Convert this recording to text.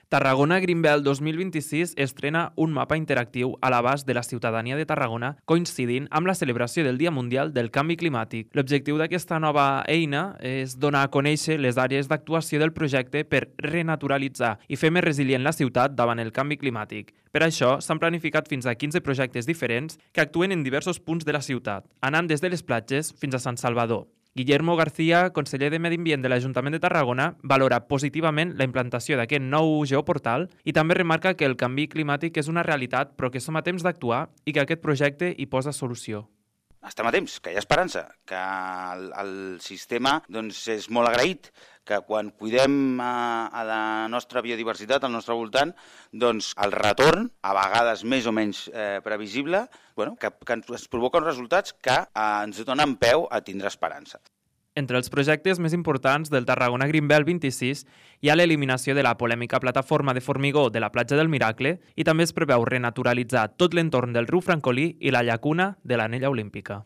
Tarragona Greenbelt 2026 estrena un mapa interactiu a l'abast de la ciutadania de Tarragona coincidint amb la celebració del Dia Mundial del Canvi Climàtic. L'objectiu d'aquesta nova eina és donar a conèixer les àrees d'actuació del projecte per renaturalitzar i fer més resilient la ciutat davant el canvi climàtic. Per això, s'han planificat fins a 15 projectes diferents que actuen en diversos punts de la ciutat, anant des de les platges fins a Sant Salvador. Guillermo García, conseller de Medi Ambient de l'Ajuntament de Tarragona, valora positivament la implantació d'aquest nou geoportal i també remarca que el canvi climàtic és una realitat però que som a temps d'actuar i que aquest projecte hi posa solució. Estem a temps, que hi ha esperança, que el sistema és molt agraït, que quan cuidem a la nostra biodiversitat, al nostre voltant, el retorn, a vegades més o menys previsible, que ens provoca uns resultats que ens donen peu a tindre esperança. Entre els projectes més importants del Tarragona Greenbelt 26 hi ha l'eliminació de la polèmica plataforma de formigó de la platja del Miracle i també es preveu renaturalitzar tot l'entorn del riu Francolí i la llacuna de l'Anella Olímpica.